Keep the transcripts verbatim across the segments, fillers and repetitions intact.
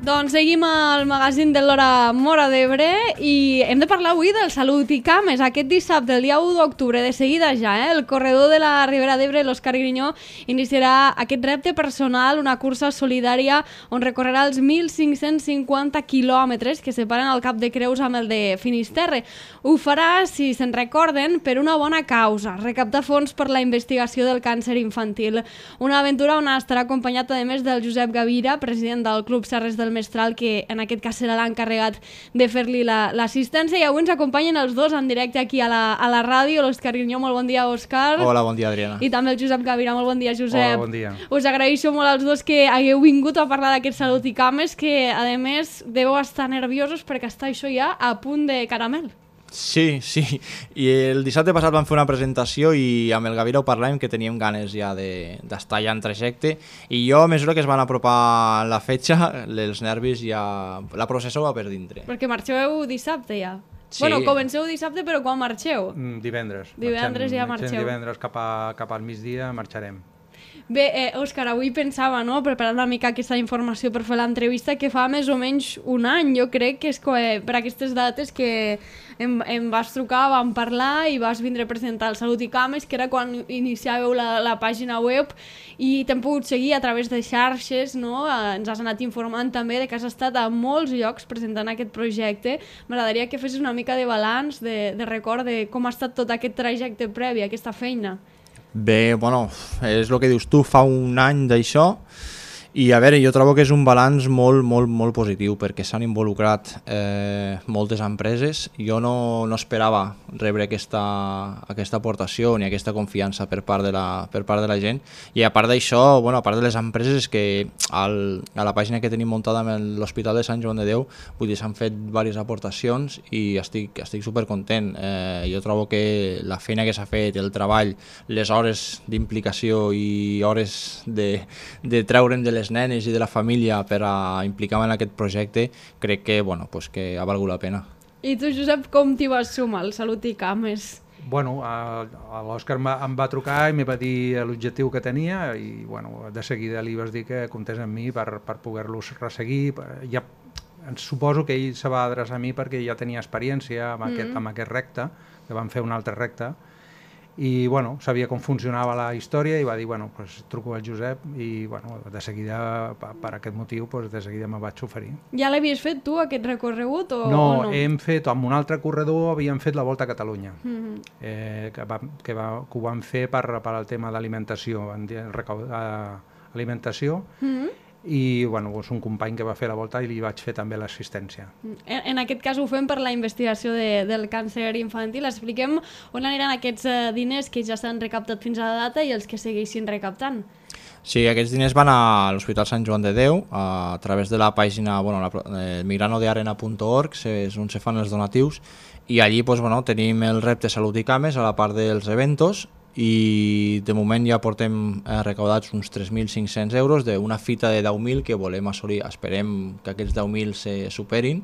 Doncs seguim al magazín de l'Hora Móra d'Ebre i hem de parlar avui del Salut i Cames. Aquest dissabte, el dia u d'octubre, de seguida ja, eh? el corredor de la Ribera d'Ebre, l'Òscar Grinyó, iniciarà aquest repte personal, una cursa solidària on recorrerà els mil cinc-cents cinquanta quilòmetres que separen el Cap de Creus amb el de Finisterre. Ho farà, si se'n recorden, per una bona causa, recaptar fons per la investigació del càncer infantil. Una aventura on estarà acompanyat, a més, del Josep Gavira, president del Club Serres del Mestral, que en aquest cas serà l'encarregat de fer-li l'assistència, i avui ens acompanyen els dos en directe aquí a la, a la ràdio. L'Òscar Grinyó, molt bon dia, Òscar. Hola, bon dia, Adriana. I també el Josep Gavira, molt bon dia, Josep. Hola, bon dia. Us agraeixo molt als dos que hagueu vingut a parlar d'aquest Salut i Cames, que a més deveu estar nerviosos perquè està això ja a punt de caramel. Sí, sí, i el dissabte passat vam fer una presentació i amb el Gavira ho parlàvem que teníem ganes ja d'estar ja en trajecte, i jo a mesura que es van apropar la fetge, els nervis ja... la processó va per dintre. Perquè marxeu dissabte ja. Sí. Bueno, comenceu dissabte, però quan marxeu? Mm, divendres. Divendres marxem, ja marxeu. Divendres cap, a, cap al migdia marxarem. Bé, eh, Òscar, avui pensava, no?, preparant una mica aquesta informació per fer l'entrevista, que fa més o menys un any, jo crec que és que, per aquestes dates que em, em vas trucar, vam parlar i vas vindre a presentar el Salut i Cames, que era quan iniciàveu la, la pàgina web, i t'hem pogut seguir a través de xarxes, no? Eh, ens has anat informant també de que has estat a molts llocs presentant aquest projecte. M'agradaria que fessis una mica de balanç, de, de record de com ha estat tot aquest trajecte previ, aquesta feina. Bé, bueno, és el que dius tu, fa un any d'això, i a veure, jo trobo que és un balanç molt, molt, molt positiu, perquè s'han involucrat eh, moltes empreses. Jo no, no esperava rebre aquesta, aquesta aportació ni aquesta confiança per part de la, per part de la gent, i a part d'això, bueno, a part de les empreses, és que al, a la pàgina que tenim muntada amb l'Hospital de Sant Joan de Déu, vull dir, s'han fet diverses aportacions i estic, estic supercontent. Eh, jo trobo que la feina que s'ha fet, el treball, les hores d'implicació i hores de, de treure'm de les nenes i de la família per a implicar-me en aquest projecte, crec que, bueno, pues que ha valgut la pena. I tu, Josep, com t'hi vas sumar al Salut i Cames? Bueno, l'Òscar em va trucar i me va dir l'objectiu que tenia, i bueno, de seguida li vas dir que comptés amb mi per, per poder-los resseguir. Ja, suposo que ell se va adreçar a mi perquè ja tenia experiència amb, mm-hmm. aquest, amb aquest recte, que vam fer un altre recte, i bueno, sabia com funcionava la història i va dir, bueno, pues, truco al Josep, i bueno, de seguida, per, per aquest motiu, pues, de seguida me vaig oferir. Ja l'havies fet tu, aquest recorregut, o no? o no? Hem fet, amb un altre corredor havíem fet la Volta a Catalunya, Mm-hmm. eh, que, va, que, va, que ho vam fer per, per al tema d'alimentació, alimentació, Mm-hmm. i bueno, és un company que va fer la volta i li vaig fer també l'assistència. En, en aquest cas ho fem per la investigació de, del càncer infantil. Expliquem on aniran aquests eh, diners que ja s'han recaptat fins a la data i els que segueixin recaptant. Sí, aquests diners van a l'Hospital Sant Joan de Déu a través de la pàgina, bueno, eh, migrano de arena punt org, és on se fan els donatius, i allí pues, bueno, tenim el repte Salut i Cames a la part dels eventos, i de moment ja portem eh, recaudats uns tres mil cinc-cents euros d'una fita de deu mil que volem assolir. Esperem que aquests deu mil se superin,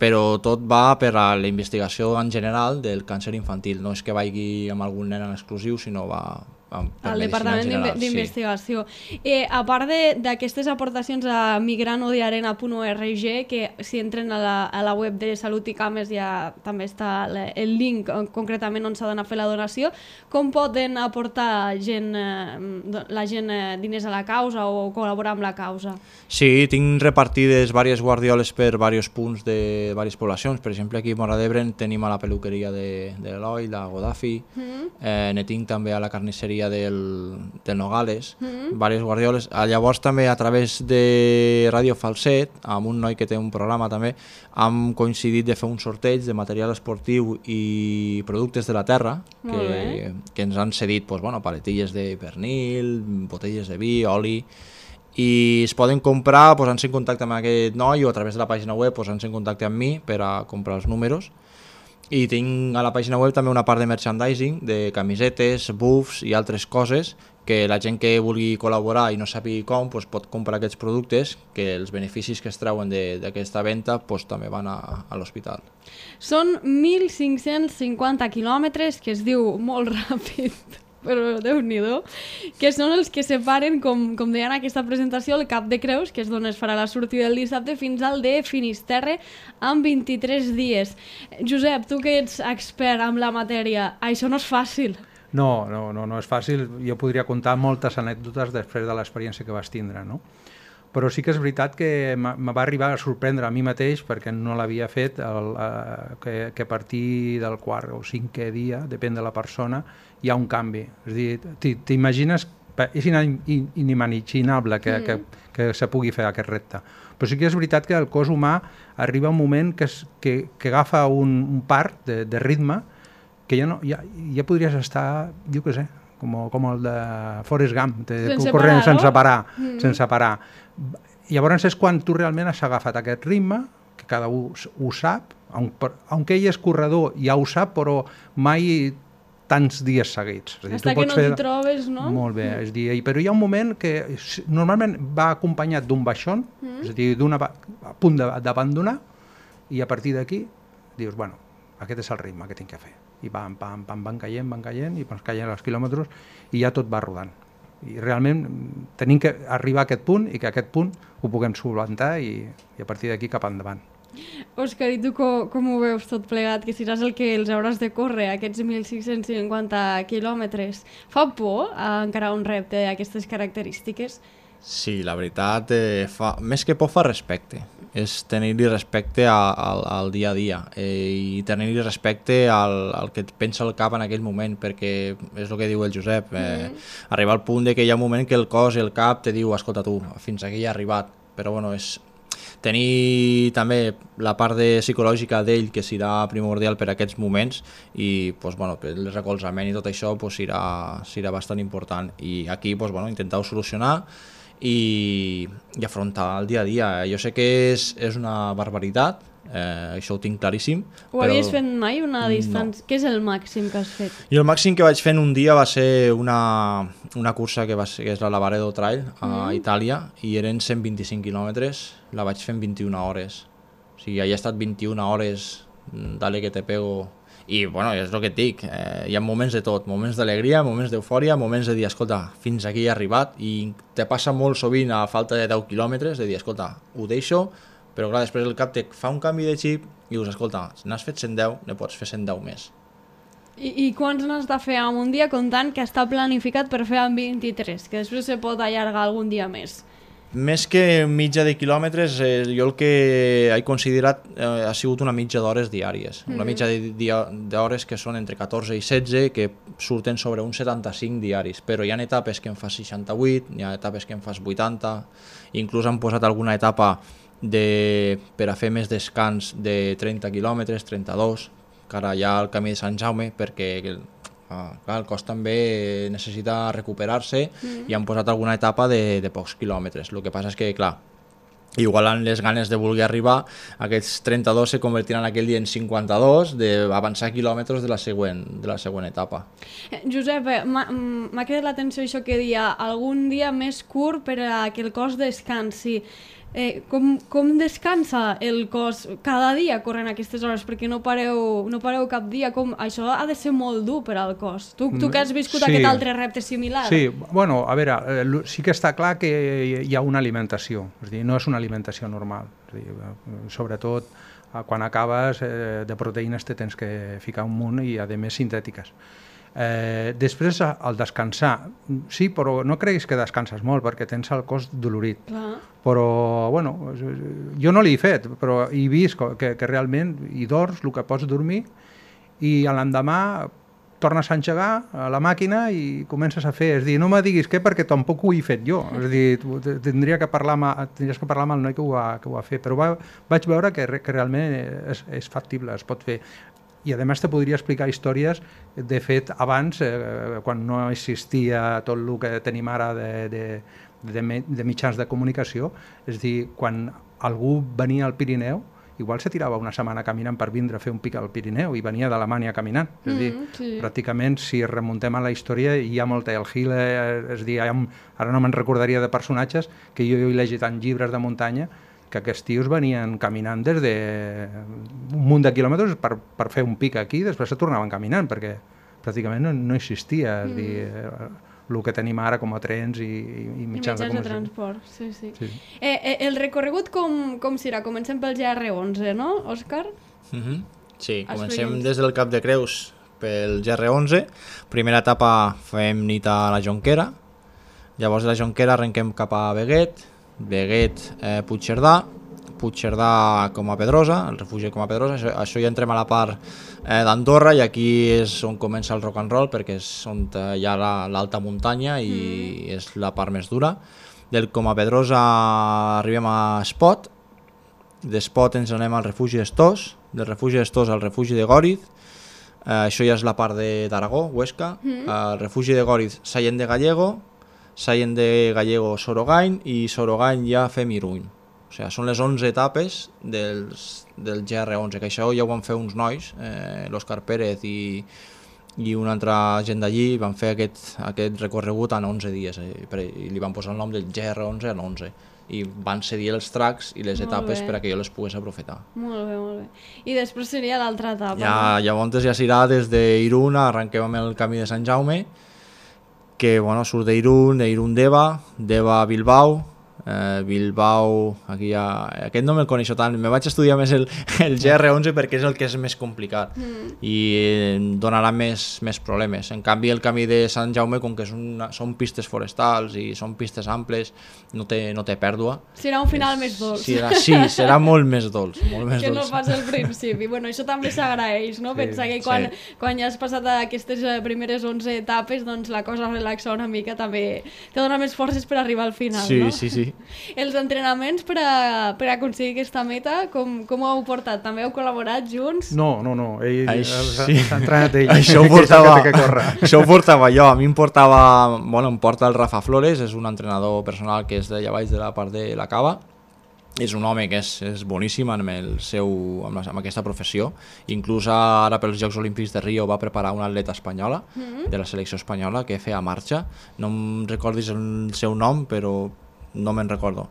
però tot va per a la investigació en general del càncer infantil. No és que vagi amb algun nen en exclusiu, sinó va al Departament d'Investigació. Sí. Eh, a part d'aquestes aportacions a migrano de arena punt org, que si entren a la, a la web de Salut i Cames ja també està el link concretament on s'ha d'anar a fer la donació, com poden aportar gent, eh, la gent eh, diners a la causa o col·laborar amb la causa? Sí, tinc repartides diverses guardioles per diversos punts de diverses poblacions. Per exemple, aquí a Móra d'Ebre tenim a la peluqueria de, de l'Eloi, la Godafi, mm. eh, ne tinc també a la carnisseria del, del Nogales, mm-hmm. diverses guardioles. Llavors també a través de Ràdio Falset, amb un noi que té un programa també, hem coincidit de fer un sorteig de material esportiu i productes de la terra que, que ens han cedit pues, bueno, paletilles de pernil, botelles de vi, oli, i es poden comprar posant-se en contacte amb aquest noi o a través de la pàgina web posant-se en contacte amb mi per a comprar els números. I tinc a la pàgina web també una part de merchandising, de camisetes, buffs i altres coses que la gent que vulgui col·laborar i no sàpiga com pues, pot comprar aquests productes, que els beneficis que es treuen d'aquesta venda pues, també van a, a l'hospital. Són mil cinc-cents cinquanta quilòmetres, que es diu molt ràpid. però Déu-n'hi-do, que són els que separen, com, com deien en aquesta presentació, el Cap de Creus, que és d'on es farà la sortida el dissabte, fins al de Finisterre, amb vint-i-tres dies. Josep, tu que ets expert en la matèria, això no és fàcil. No, no, no, no és fàcil. Jo podria contar moltes anècdotes després de l'experiència que vas tindre, no? Però sí que és veritat que me va arribar a sorprendre a mi mateix, perquè no l'havia fet, el, eh, que, que a partir del quart o cinquè dia, depèn de la persona, hi ha un canvi. És a dir, t'imagines, és inimaginable que, mm. que, que se pugui fer aquest repte. Però sí que és veritat que el cos humà arriba un moment que, es, que, que agafa un, un part de, de ritme que ja, no, ja, ja podries estar, jo què sé, com, com el de Forrest Gump, sense corrent parar, sense no? parar, mm. sense parar. Llavors és quan tu realment has agafat aquest ritme, que cada un ho sap, aunque ell és corredor ja ho sap, però mai tants dies seguits. És dir, Hasta tu que no fer... t'hi trobes, no? Molt bé, és dir, però hi ha un moment que normalment va acompanyat d'un baixón, mm. és a dir, d'un a punt d'abandonar, i a partir d'aquí dius, bueno, aquest és el ritme que tinc que fer. I pam, pam, pam, van caient, van caient, i van caient els quilòmetres, i ja tot va rodant. I realment tenim que arribar a aquest punt i que aquest punt ho puguem solventar i, i a partir d'aquí cap endavant. Òscar, i tu com, com ho veus tot plegat? Que seràs el que els hauràs de córrer, aquests mil cinc-cents cinquanta quilòmetres. Fa por a encarar un repte d'aquestes característiques? Sí, la veritat, eh, fa, més que por fa respecte. És tenir-li respecte a, a, al dia a dia eh, i tenir-li respecte al, al que et pensa el cap en aquell moment, perquè és el que diu el Josep, eh, mm. arribar al punt de que hi ha un moment que el cos i el cap te diu, escolta tu, fins aquí ha arribat, però bueno, és tenir també la part de psicològica d'ell que serà primordial per a aquests moments i pues, bueno, el recolzament i tot això pues, serà, serà bastant important i aquí pues, bueno, intentar-ho solucionar i, i afrontar el dia a dia. Jo sé que és, és una barbaritat, eh, això ho tinc claríssim. Ho però... havies fet mai una distància? No. Què és el màxim que has fet? I el màxim que vaig fer en un dia va ser una, una cursa que, va ser, que és la Lavaredo Trail a mm. Itàlia i eren cent vint-i-cinc quilòmetres, la vaig fer en vint-i-una hores. O sigui, he estat vint-i-una hores, dale que te pego... I bueno, és el que et dic, eh, hi ha moments de tot, moments d'alegria, moments d'eufòria, moments de dir, escolta, fins aquí he arribat i te passa molt sovint a falta de deu quilòmetres de dir, escolta, ho deixo, però clar, després el cap te fa un canvi de xip i dius, escolta, si n'has fet cent deu, ne pots fer cent deu més. I, i quants n'has de fer en un dia comptant que està planificat per fer en vint-i-tres, que després se pot allargar algun dia més? Més que mitja de quilòmetres, eh, jo el que he considerat eh, ha sigut una mitja d'hores diàries. Mm-hmm. Una mitja d'hores que són entre catorze i setze, que surten sobre uns setanta-cinc diaris, però hi ha etapes que en fas seixanta-vuit, hi ha etapes que en fas vuitanta, inclús han posat alguna etapa de, per a fer més descans de trenta quilòmetres, trenta-dos, que ara hi ha el camí de Sant Jaume, perquè... Ah, clar, el cos també necessita recuperar-se mm. i han posat alguna etapa de, de pocs quilòmetres. El que passa és que, clar, igual les ganes de voler arribar, aquests trenta-dos se convertiran aquell dia en cinquanta-dos, d'avançar quilòmetres de la següent, de la següent etapa. Josep, m'ha cridat l'atenció això que dia, algun dia més curt per a que el cos descansi. Eh, com, com descansa el cos cada dia corrent aquestes hores? Perquè no pareu, no pareu cap dia. Com, això ha de ser molt dur per al cos. Tu, tu que has viscut sí. aquest altre repte similar. Sí, bueno, a veure, eh, sí que està clar que hi ha una alimentació. És a dir, no és una alimentació normal. És a dir, sobretot quan acabes eh, de proteïnes te tens que ficar un munt i a més sintètiques. Eh, després al descansar sí, però no creguis que descanses molt perquè tens el cos dolorit. Clar. Però bueno, jo no l'he fet, però he vist que, que realment hi dors el que pots dormir i l'endemà tornes a engegar a la màquina i comences a fer. És dir, no me diguis què perquè tampoc ho he fet jo. És dir, tindria que parlar amb, tindries que parlar amb el noi que ho ha, que ho ha fet, però va, vaig veure que, que realment és, és factible, es pot fer. I a més te podria explicar històries de fet abans, eh, quan no existia tot el que tenim ara de, de, de, de mitjans de comunicació, és a dir, quan algú venia al Pirineu, igual se tirava una setmana caminant per vindre a fer un pic al Pirineu i venia d'Alemanya caminant. És a dir, mm, sí. pràcticament, si remuntem a la història, hi ha molta el Hill, és a dir, ha, ara no me'n recordaria de personatges que jo he llegit en llibres de muntanya que aquests tios venien caminant des de un munt de quilòmetres per, per fer un pic aquí i després se tornaven caminant perquè, pràcticament no, no existia, és mm. dir, eh, el que tenim ara com a trens i, i, i mitjans, I mitjans de, de transport. Sí, sí. sí. Eh, eh, el recorregut com, com serà? Comencem pel G R onze, no, Òscar? Mm-hmm. Sí, comencem des del Cap de Creus pel G R onze. Primera etapa fem nit a la Jonquera, llavors de la Jonquera arrenquem cap a Beguet, Beguet, eh, Puigcerdà, Puigcerdà com a Pedrosa, el refugi com a Pedrosa, això, això ja entrem a la part eh, d'Andorra, i aquí és on comença el rock and roll, perquè és on hi ha l'alta la, muntanya i mm. és la part més dura. Del com a Pedrosa arribem a Espot, d'Espot ens anem al refugi d'Estós, del refugi d'Estós al refugi de Gòriz, eh, això ja és la part d'Aragó, Huesca, mm. al refugi de Gòriz, Sallent de Gallego, Sallent de Gallego, Sorogain, i Sorogain ja fem Iruny. O sigui, són les onze etapes dels, del G R onze, que això ja ho van fer uns nois, eh, l'Òscar Pérez i, i una altra gent d'allí, van fer aquest, aquest recorregut en onze dies, eh, i li van posar el nom del G R onze en onze, i van cedir els tracks i les molt etapes bé. Per a que jo les pogués aprofitar. Molt bé, molt bé. I després seria l'altra etapa. Ja, no? Llavors ja s'irà des d'Irun, arrenquem amb el camí de Sant Jaume, que bueno, surt d'Irun, d'Irun d'Eva, d'Eva a Bilbao, eh, Bilbao, aquí ja, aquest no me'l coneixo tant, me vaig estudiar més el, el G R onze perquè és el que és més complicat mm. i em donarà més, més problemes. En canvi el camí de Sant Jaume, com que és una, són pistes forestals i són pistes amples, no té, no té pèrdua. Serà un final és, més dolç. Serà, sí, serà molt més dolç. Molt més que dolç. No pas al principi. Bueno, això també s'agraeix, no? Sí, pensar que quan, sí. quan ja has passat aquestes primeres onze etapes, doncs la cosa relaxa una mica, també te dona més forces per arribar al final, sí, no? Sí, sí. Els entrenaments per, a, per a aconseguir aquesta meta, com, com ho heu portat? També heu col·laborat junts? No, no, no. Ell s'ha sí. entrenat ell. Això ho portava, que això ho portava jo. A mi em portava, bueno, em porta el Rafa Flores, és un entrenador personal que és d'allà baix de la part de la Cava. És un home que és, és boníssim amb, el seu, amb, la, amb aquesta professió. Inclús ara pels Jocs Olímpics de Rio va preparar una atleta espanyola, mm-hmm. de la selecció espanyola, que feia marxa. No em recordis el seu nom, però no me'n recordo.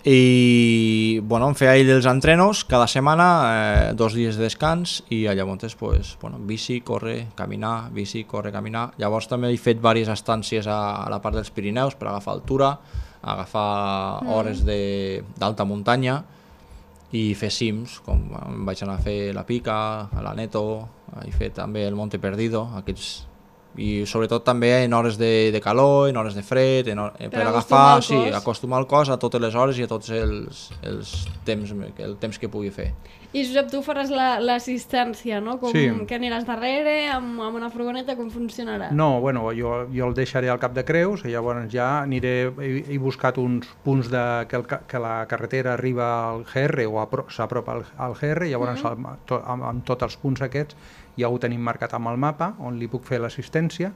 I bueno, em feia ell els entrenos cada setmana, eh, dos dies de descans, i llavors pues, bueno, bici, córrer, caminar, bici, córrer, caminar. Llavors també he fet diverses estàncies a, a la part dels Pirineus per agafar altura, agafar mm. hores d'alta muntanya i fer cims, com em vaig anar a fer la Pica, a la Neto, he fet també el Monte Perdido, aquests, i sobretot també en hores de, de calor, en hores de fred, en, per, per agafar, sí, acostumar el cos a totes les hores i a tots els, els temps, el temps que pugui fer. I Josep, tu faràs l'assistència, no? Com, sí. Que aniràs darrere, amb, amb una furgoneta, com funcionarà? No, bueno, jo, jo el deixaré al Cap de Creus, i llavors ja aniré, he, he buscat uns punts de, que, el, que la carretera arriba al G R o s'apropa al, al G R, i llavors mm -hmm. amb, amb, amb tots els punts aquests ja ho tenim marcat amb el mapa, on li puc fer l'assistència,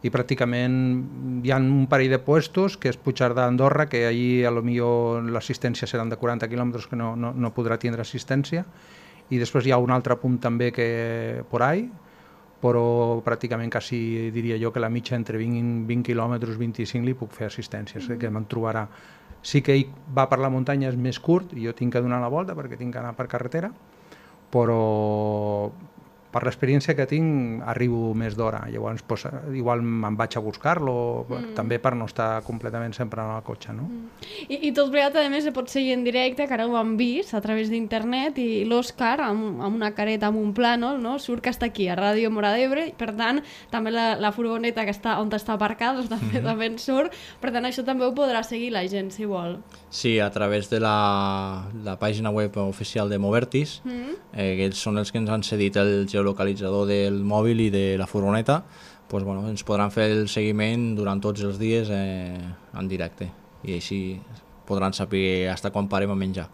i pràcticament hi ha un parell de puestos, que és Puigcerdà d'Andorra, que allí a lo millor l'assistència seran de quaranta quilòmetres, que no, no, no podrà tindre assistència, i després hi ha un altre punt també que por ahí, però pràcticament quasi diria jo que la mitja entre vint, vint quilòmetres, vint-i-cinc li puc fer assistència, mm. que me'n trobarà. Sí que ell va per la muntanya, és més curt, i jo tinc que donar la volta perquè tinc que anar per carretera, però per l'experiència que tinc arribo més d'hora, llavors pues, igual me'n vaig a buscar-lo, mm. també per no estar completament sempre en el cotxe, no? Mm. I, I tot plegat, a més, se pot seguir en directe, que ara ho han vist a través d'internet, i l'Òscar, amb, amb una careta, amb un plànol, no? Surt que està aquí, a Ràdio Móra d'Ebre, per tant, també la, la furgoneta que està on està aparcada, doncs, també, mm. també en surt, per tant, això també ho podrà seguir la gent, si vol. Sí, a través de la, la pàgina web oficial de Movertis, mm. eh, que són els que ens han cedit el geolocalitzador del mòbil i de la furgoneta, pues, bueno, ens podran fer el seguiment durant tots els dies eh, en directe, i així podran saber fins quan parem a menjar.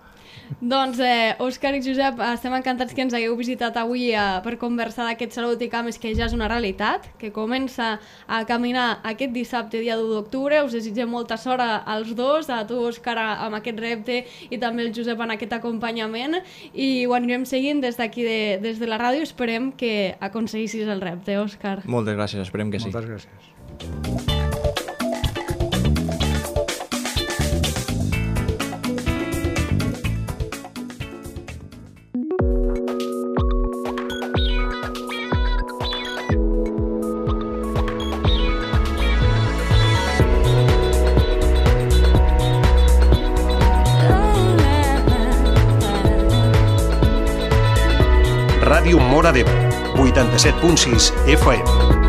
Doncs, eh, Òscar i Josep, estem encantats que ens hagueu visitat avui eh, per conversar d'aquest Salut i Cames, que ja és una realitat, que comença a caminar aquest dissabte, dia deu d'octubre. Us desitgem molta sort als dos, a tu, Òscar, amb aquest repte, i també el Josep en aquest acompanyament, i ho anirem seguint des d'aquí, de, des de la ràdio. Esperem que aconseguissis el repte, Òscar. Moltes gràcies, esperem que sí. Moltes gràcies. Ràdio Móra d'Ebre, vuitanta-set punt sis F M.